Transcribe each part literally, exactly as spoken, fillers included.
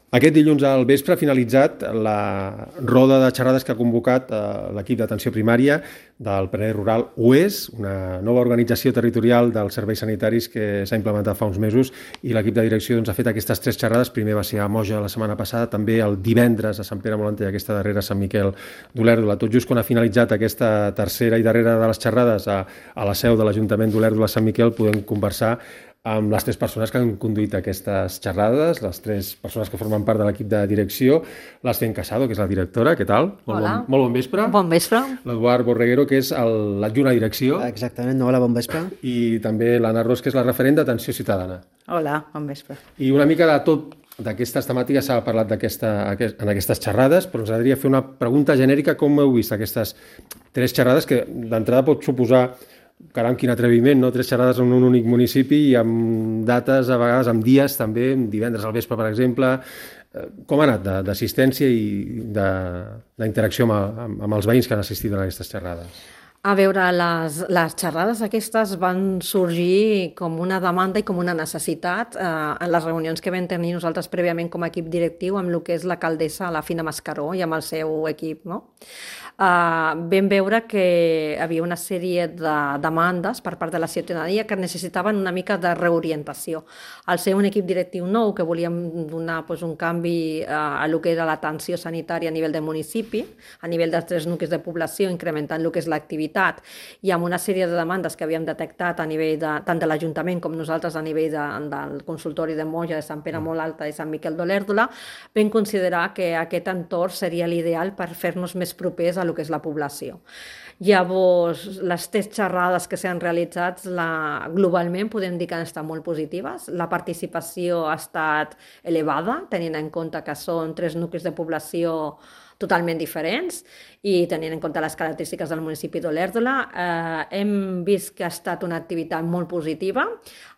Aquest dilluns al vespre ha finalitzat la roda de xerrades que ha convocat l'equip d'atenció primària del Penedès Rural U E S, una nova organització territorial dels serveis sanitaris que s'ha implementat fa uns mesos, i l'equip de direcció doncs, ha fet aquestes tres xerrades. Primer va ser a Moja la setmana passada, també el divendres a Sant Pere Molanter i aquesta darrera a Sant Miquel d'Olèrdola. Tot just quan ha finalitzat aquesta tercera i darrera de les xerrades a, a la seu de l'Ajuntament d'Olèrdola-Sant Miquel, podem conversar amb les tres persones que han conduït aquestes xerrades, les tres persones que formen part de l'equip de direcció. L'Estén Casado, que és la directora, què tal? Molt Hola. Bon, molt bon vespre. Bon vespre. L'Eduard Borreguero, que és l'adjunt a direcció. Exactament, hola, bon vespre. I també l'Anna Ros, que és la referent d'atenció ciutadana. Hola, bon vespre. I una mica de tot d'aquestes temàtiques s'ha parlat d'aquesta, en aquestes xerrades, però ens agradaria fer una pregunta genèrica. Com heu vist aquestes tres xerrades que d'entrada pot suposar, caram, quin atreviment, no? Tres xerrades en un únic municipi i amb dates, a vegades amb dies també, divendres al vespre, per exemple. Com ha anat d'assistència i d'interacció amb, amb, amb els veïns que han assistit a aquestes xerrades? A veure, les, les xerrades aquestes van sorgir com una demanda i com una necessitat eh, en les reunions que vam tenir nosaltres prèviament com a equip directiu amb el que és l'alcaldessa, la Fina Mascaró, i amb el seu equip, no? Uh, vam veure que hi havia una sèrie de demandes per part de la ciutadania que necessitaven una mica de reorientació. Al ser un equip directiu nou, que volíem donar pues, un canvi uh, a lo que era l'atenció sanitària a nivell del municipi, a nivell dels tres nuclis de població, incrementant el que és l'activitat, i amb una sèrie de demandes que havíem detectat a nivell de, tant de l'Ajuntament com nosaltres a nivell de, del consultori de Moja, de Sant Pere Molt Alta i Sant Miquel d'Olèrdola, vam considerar que aquest entorn seria l'ideal per fer-nos més propers a el que és la població. Llavors, les tres xerrades que s'han realitzat la, globalment podem dir que han estat molt positives. La participació ha estat elevada, tenint en compte que són tres nuclis de població totalment diferents i tenint en compte les característiques del municipi d'Olèrdola. Eh, hem vist que ha estat una activitat molt positiva,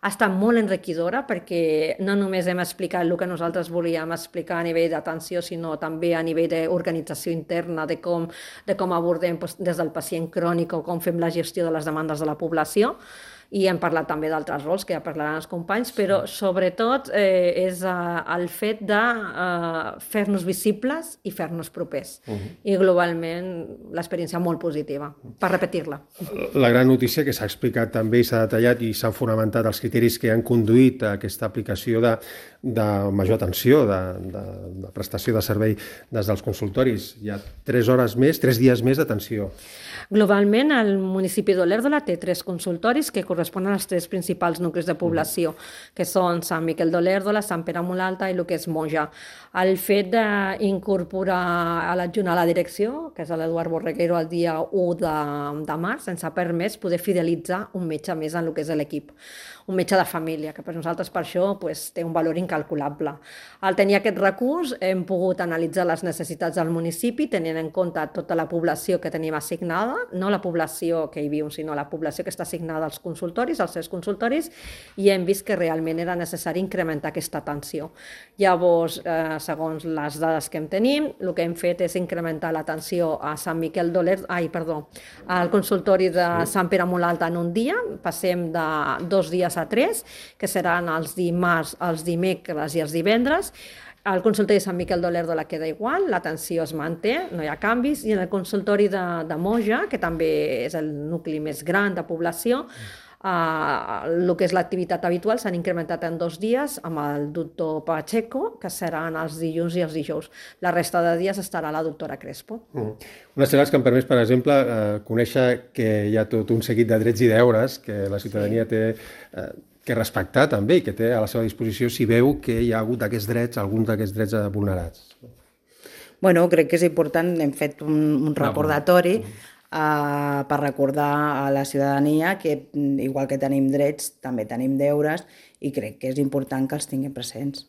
ha estat molt enriquidora perquè no només hem explicat el que nosaltres volíem explicar a nivell d'atenció, sinó també a nivell d'organització interna, de com, de com abordem doncs, des del pacient crònic o com fem la gestió de les demandes de la població. I hem parlat també d'altres rols que ja parlaran els companys, però sobretot eh, és eh, el fet de eh, fer-nos visibles i fer-nos propers. Uh -huh. I globalment l'experiència molt positiva, per repetir-la. La gran notícia que s'ha explicat també i s'ha detallat i s'han fonamentat els criteris que han conduït a aquesta aplicació de, de major atenció, de, de, de prestació de servei des dels consultoris. Hi ha tres hores més, tres dies més d'atenció. Globalment, el municipi d'Olèrdola té tres consultoris que corresponen als tres principals nuclis de població, que són Sant Miquel d'Olèrdola, Sant Pere Molt Alta i el que és Moja. El fet d'incorporar a l'adjunt a la direcció, que és l'Eduard Borreguero, el dia u de, de març, ens ha permès poder fidelitzar un metge més en el que és l'equip. Un metge de família, que per nosaltres per això pues, té un valor incalculable. Al tenir aquest recurs hem pogut analitzar les necessitats del municipi, tenint en compte tota la població que tenim assignada, no la població que hi viu, sinó la població que està assignada als consultoris, als tres consultoris, i hem vist que realment era necessari incrementar aquesta atenció. Llavors, eh, segons les dades que en tenim, el que hem fet és incrementar l'atenció a Sant Miquel d'Olèrdola, ai, perdó, al consultori de Sant Pere Molt Alta en un dia, passem de dos dies a tres, que seran els dimarts, els dimecres i els divendres. El consultori de Sant Miquel d'Olèrdola queda igual, l'atenció es manté, no hi ha canvis, i en el consultori de, de Moja, que també és el nucli més gran de població, Uh, el que és l'activitat habitual s'han incrementat en dos dies amb el doctor Pacheco, que seran els dilluns i els dijous. La resta de dies estarà la doctora Crespo. Mm. Unes xerrades que han permès, per exemple, eh, conèixer que hi ha tot un seguit de drets i deures que la ciutadania sí. té eh, que respectar també i que té a la seva disposició si veu que hi ha hagut aquests drets, alguns d'aquests drets vulnerats. Bueno, crec que és important, hem fet un, un recordatori mm. Uh, per recordar a la ciutadania que igual que tenim drets també tenim deures i crec que és important que els tinguem presents.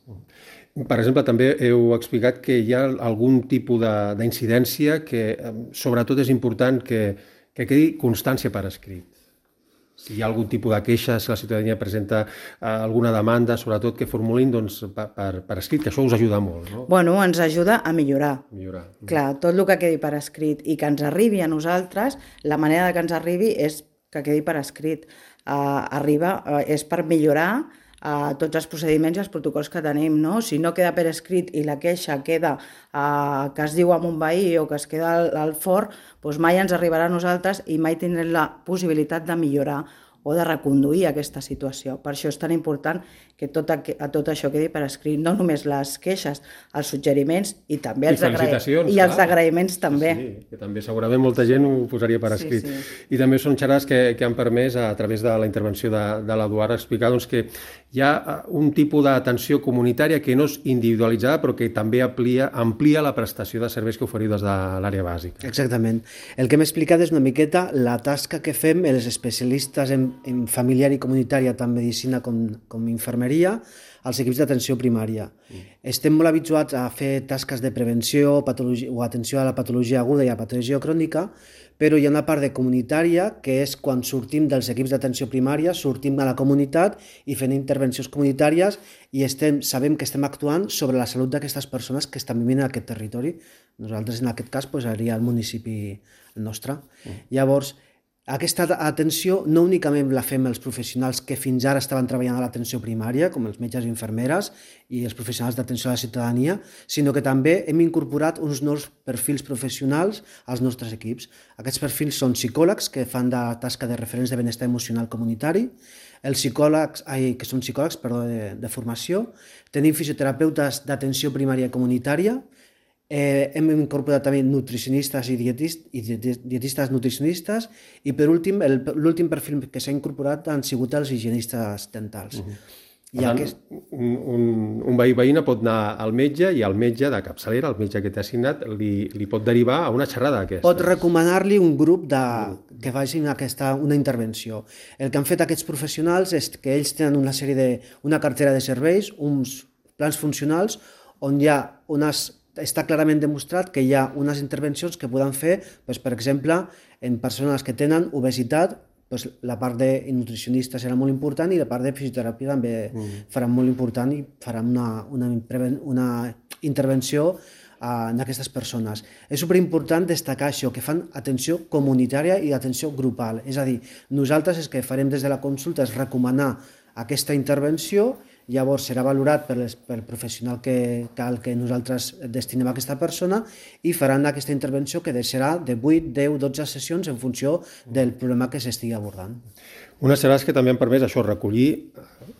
Per exemple, també heu explicat que hi ha algun tipus d'incidència que sobretot és important que, que quedi constància per escrit. Si hi ha algun tipus de queixa, si la ciutadania presenta eh, alguna demanda, sobretot que formulin doncs, per, per escrit, que això us ajuda molt. No? Bueno, ens ajuda a millorar. millorar. Clar, tot el que quedi per escrit i que ens arribi a nosaltres, la manera de que ens arribi és que quedi per escrit. Uh, arriba, uh, és per millorar a tots els procediments i els protocols que tenim, no? Si no queda per escrit i la queixa queda a, que es diu amb un veí o que es queda al, al fort, doncs mai ens arribarà a nosaltres i mai tindrem la possibilitat de millorar o de reconduir aquesta situació. Per això és tan important que tot, a, a tot això quedi per escrit, no només les queixes, els suggeriments i també els, agra... i els agraïments també. Sí, sí, que també segurament molta gent ho posaria per escrit. Sí, sí. I també són xerrades que, que han permès, a través de la intervenció de, de l'Eduard, explicar doncs, que hi ha un tipus d'atenció comunitària que no és individualitzada, però que també amplia, amplia la prestació de serveis que oferiu des de l'àrea bàsica. Exactament. El que hem explicat és una miqueta la tasca que fem els especialistes en, en familiar i comunitària, tant medicina com, com infermeria, als equips d'atenció primària. Mm. Estem molt habituats a fer tasques de prevenció o atenció a la patologia aguda i a la patologia crònica, però hi ha una part de comunitària que és quan sortim dels equips d'atenció primària, sortim a la comunitat i fem intervencions comunitàries i estem, sabem que estem actuant sobre la salut d'aquestes persones que estan vivint en aquest territori. Nosaltres, en aquest cas, pues, seria el municipi nostre. Mm. Llavors, aquesta atenció no únicament la fem els professionals que fins ara estaven treballant a l'atenció primària, com els metges i infermeres i els professionals d'atenció a la ciutadania, sinó que també hem incorporat uns nous perfils professionals als nostres equips. Aquests perfils són psicòlegs que fan de tasca de referents de benestar emocional comunitari, els psicòlegs, ai, que són psicòlegs perdó, de, de formació, tenim fisioterapeutes d'atenció primària comunitària, Eh, hem incorporat també nutricionistes i, dietist, i dietistes nutricionistes i per últim, l'últim perfil que s'ha incorporat han sigut els higienistes dentals. Uh-huh. I tant, aquest... un, un, un veí veïna pot anar al metge i el metge de capçalera, el metge que t'ha assignat, li, li pot derivar a una xerrada d'aquestes. Pot recomanar-li un grup de, que facin aquesta, una intervenció. El que han fet aquests professionals és que ells tenen una sèrie de, una cartera de serveis, uns plans funcionals on hi ha unes està clarament demostrat que hi ha unes intervencions que poden fer, doncs, per exemple, en persones que tenen obesitat, doncs, la part de nutricionista serà molt important i la part de fisioteràpia també mm. farà molt important i farà una, una, una intervenció en aquestes persones. És superimportant destacar això, que fan atenció comunitària i atenció grupal. És a dir, nosaltres el que farem des de la consulta és recomanar aquesta intervenció. Llavors serà valorat pel, pel professional que, que, al que nosaltres destinem a aquesta persona i faran aquesta intervenció que serà de vuit, deu, dotze sessions en funció del problema que s'estigui abordant. Unes xerrades que també han permès això, recollir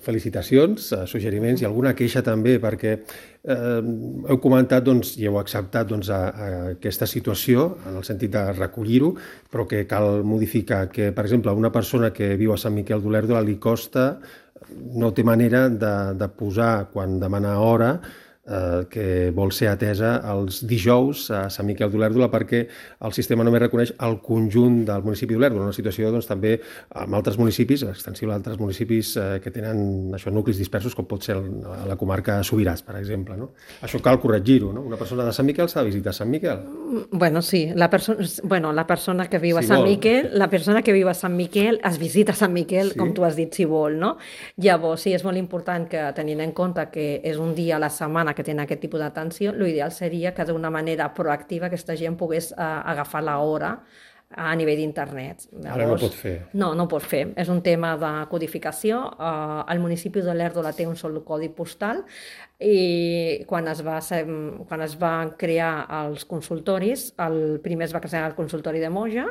felicitacions, suggeriments i alguna queixa també, perquè eh, heu comentat doncs, i heu acceptat doncs, a, a aquesta situació en el sentit de recollir-ho, però que cal modificar, que per exemple una persona que viu a Sant Miquel d'Olèrdola li costa, no té manera de, de posar quan demana hora eh, que vol ser atesa els dijous a Sant Miquel d'Olèrdola perquè el sistema només reconeix el conjunt del municipi d'Olèrdola, una situació doncs, també amb altres municipis, extensible a altres municipis eh, que tenen això, nuclis dispersos com pot ser el, la comarca Subirats, per exemple. No? Això cal corregir-ho, no? Una persona de Sant Miquel s'ha de visitar Sant Miquel. Bueno, sí, la, perso bueno, la persona que viu a si Sant vol. Miquel, la persona que viu a Sant Miquel es visita Sant Miquel, sí. Com tu has dit, si vol, no? Llavors, sí, és molt important que tenint en compte que és un dia a la setmana que tenen aquest tipus d'atenció, l'ideal seria que d'una manera proactiva aquesta gent pogués uh, agafar l'hora a nivell d'internet. Ara no pot fer. No, no pot fer. És un tema de codificació. Uh, el municipi d'Olèrdola té un sol codi postal i quan es, va, quan es van crear els consultoris, el primer es va crear el consultori de Moja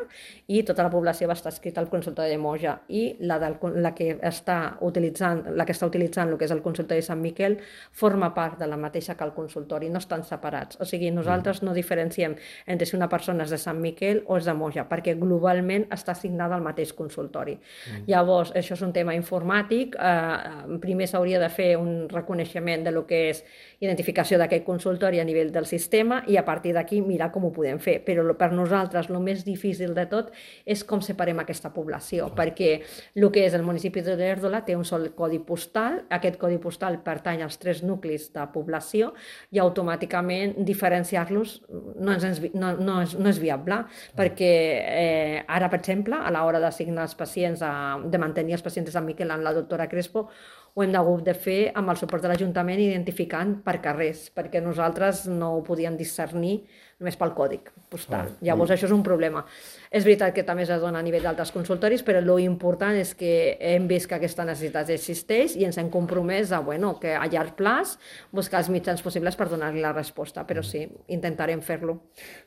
i tota la població va estar escrita al consultori de Moja i la, del, la, que està utilitzant, la que està utilitzant el que és el consultori de Sant Miquel forma part de la mateixa que el consultori, no estan separats. O sigui, nosaltres no diferenciem entre si una persona és de Sant Miquel o és de Moja, perquè globalment està assignada al mateix consultori. Mm. Llavors, això és un tema informàtic. Eh, primer s'hauria de fer un reconeixement de lo que és identificació d'aquest consultori a nivell del sistema i a partir d'aquí mirar com ho podem fer. Però per nosaltres el més difícil de tot és com separem aquesta població, perquè el que és el municipi d'Olèrdola té un sol codi postal, aquest codi postal pertany als tres nuclis de població i automàticament diferenciar-los no, no, no, és, no és viable, perquè eh, ara, per exemple, a l'hora d'assignar els pacients, a, de mantenir els pacients de Sant Miquel amb la doctora Crespo, ho hem hagut de fer amb el suport de l'Ajuntament identificant per carrers, perquè nosaltres no ho podíem discernir només pel còdic postal. Llavors, això és un problema. És veritat que també es dona a nivell d'altres consultoris, però l'important és que hem vist que aquesta necessitat existeix i ens hem compromès a, bueno, que a llarg plaç buscar els mitjans possibles per donar-li la resposta, però sí, intentarem fer-lo.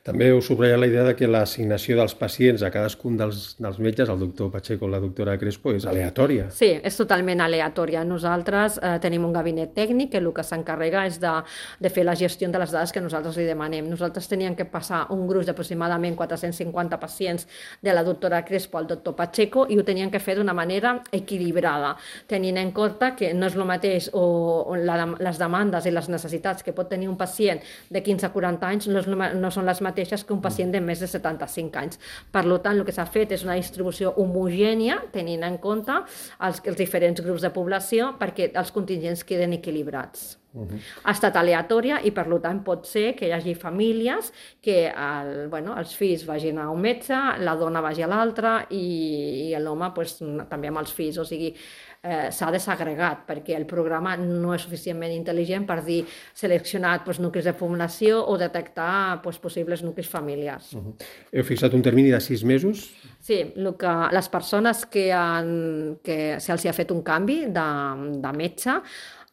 També heu subratllat la idea de que l'assignació dels pacients a cadascun dels, dels metges, el doctor Pacheco o la doctora Crespo, és aleatòria. Sí, és totalment aleatòria. Nosaltres eh, tenim un gabinet tècnic que el que s'encarrega és de, de fer la gestió de les dades que nosaltres li demanem. Nosaltres teníem que passar un gruix d'aproximadament quatre-cents cinquanta pacients de la doctora Crespo al doctor Pacheco i ho tenien que fer d'una manera equilibrada, tenint en compte que no és el mateix o, o la, les demandes i les necessitats que pot tenir un pacient de quinze a quaranta anys no, és, no són les mateixes que un pacient de més de setanta-cinc anys. Per tant, el que s'ha fet és una distribució homogènia, tenint en compte els, els diferents grups de població perquè els contingents queden equilibrats. Uh-huh. Ha estat aleatòria i per tant pot ser que hi hagi famílies que el, bueno, els fills vagin a un metge, la dona vagi a l'altre i, i l'home pues, també amb els fills, o sigui, eh, s'ha desagregat perquè el programa no és suficientment intel·ligent per dir seleccionat pues, nuclis de població o detectar pues, possibles nuclis familiars. Uh-huh. Heu fixat un termini de sis mesos? Sí, el que, les persones que, han, que se'ls ha fet un canvi de, de metge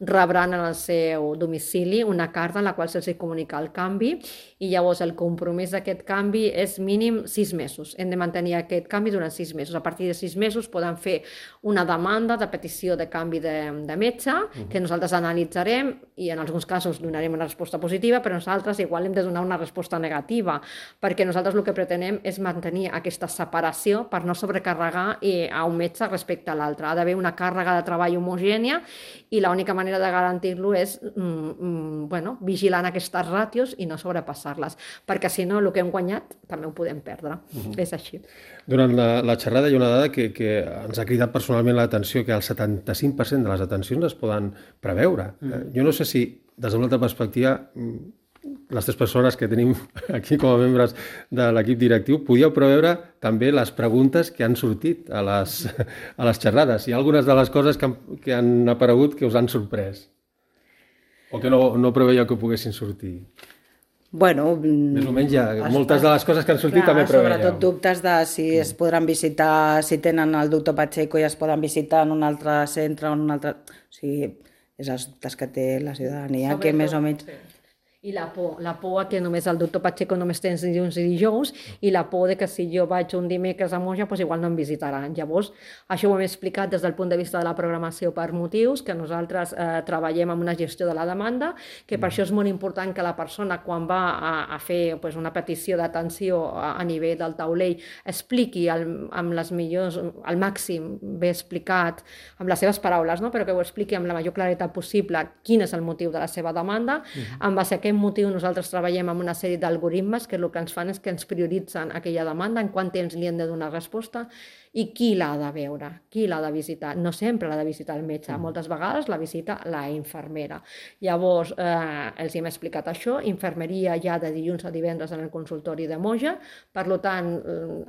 rebran en el seu domicili una carta en la qual se'ls comunica el canvi i llavors el compromís d'aquest canvi és mínim sis mesos. Hem de mantenir aquest canvi durant sis mesos. A partir de sis mesos poden fer una demanda de petició de canvi de, de metge que nosaltres analitzarem i en alguns casos donarem una resposta positiva, però nosaltres igual hem de donar una resposta negativa perquè nosaltres el que pretenem és mantenir aquesta separació per no sobrecarregar a un metge respecte a l'altre. Ha d'haver una càrrega de treball homogènia i l'única manera de garantir-lo és mm, bueno, vigilant aquestes ràtios i no sobrepassar-les, perquè si no el que hem guanyat també ho podem perdre. Uh-huh. És així. Durant la, la xerrada hi ha una dada que, que ens ha cridat personalment l'atenció, que el setanta-cinc per cent de les atencions es poden preveure. Uh-huh. Jo no sé si, des d'una altra perspectiva, les tres persones que tenim aquí com a membres de l'equip directiu, podíeu preveure també les preguntes que han sortit a les, a les xerrades. Hi ha algunes de les coses que han, que han aparegut que us han sorprès o que no, no preveieu que poguessin sortir. Bueno, més o menys ja, moltes de les coses que han sortit clar, també preveieu. Sobretot dubtes de si es podran visitar, si tenen el doctor Pacheco i es poden visitar en un altre centre o en un altre... O sigui, és els dubtes que té la ciutadania, que més o menys... Sí. I la por, la por que només el doctor Pacheco només tens dilluns i dijous i la por de que si jo vaig un dimecres a Moja doncs igual no em visitaran. Llavors, això ho hem explicat des del punt de vista de la programació per motius, que nosaltres eh, treballem amb una gestió de la demanda, que per això és molt important que la persona quan va a, a fer pues, una petició d'atenció a, a nivell del taulell expliqui el, amb les millors, al màxim ben explicat, amb les seves paraules, no? Però que ho expliqui amb la major claretat possible quin és el motiu de la seva demanda, uh-huh. en base a aquest motiu nosaltres treballem amb una sèrie d'algoritmes que el que ens fan és que ens prioritzen aquella demanda, en quant temps li hem de donar resposta i qui l'ha de veure, qui l'ha de visitar. No sempre l'ha de visitar el metge, moltes vegades la visita la infermera. Llavors, eh, els hem explicat això, infermeria ja de dilluns a divendres en el consultori de Moja, per tant,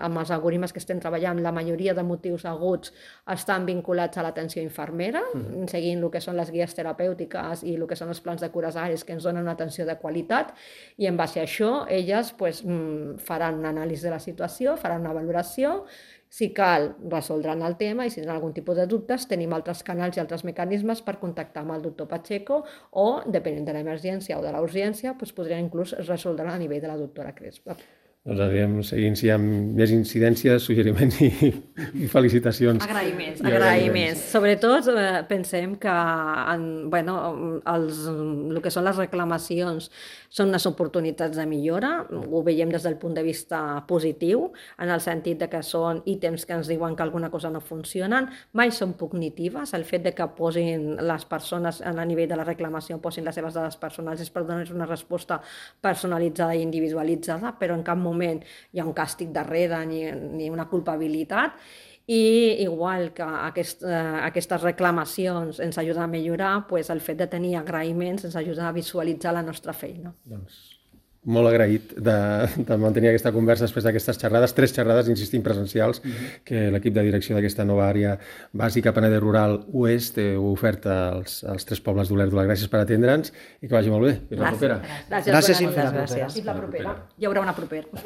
amb els algoritmes que estem treballant, la majoria de motius aguts estan vinculats a l'atenció infermera, mm. seguint el que són les guies terapèutiques i el que són els plans de cures àrees que ens donen una atenció de qualitat, i en base a això, elles pues, faran una anàlisi de la situació, faran una valoració. Si cal, resoldran el tema i si tenen algun tipus de dubtes, tenim altres canals i altres mecanismes per contactar amb el doctor Pacheco o, depenent de l'emergència o de la urgència, doncs podrien inclús resoldre a nivell de la doctora Crespo. Doncs anirem seguint si hi ha més incidències, suggeriments i, i felicitacions. Agraïments, agraïments. Sobretot eh, pensem que en, bueno, els, el que són les reclamacions són unes oportunitats de millora, ho veiem des del punt de vista positiu, en el sentit de que són ítems que ens diuen que alguna cosa no funcionen, mai són cognitives, el fet de que posin les persones a nivell de la reclamació, posin les seves dades personals és per donar una resposta personalitzada i individualitzada, però en cap moment hi ha un càstig darrere ni, ni una culpabilitat. I igual que aquest, eh, aquestes reclamacions ens ajuden a millorar, pues el fet de tenir agraïments ens ajuda a visualitzar la nostra feina. Doncs molt agraït de, de mantenir aquesta conversa després d'aquestes xerrades, tres xerrades, insistim, presencials, mm-hmm. que l'equip de direcció d'aquesta nova àrea bàsica Penedès Rural Oest té oferta als, als tres pobles d'Olèrdola. Gràcies per atendre'ns i que vagi molt bé. Fins la propera. Gràcies, gràcies, gràcies, gràcies, gràcies. Fins la propera. Hi haurà una propera.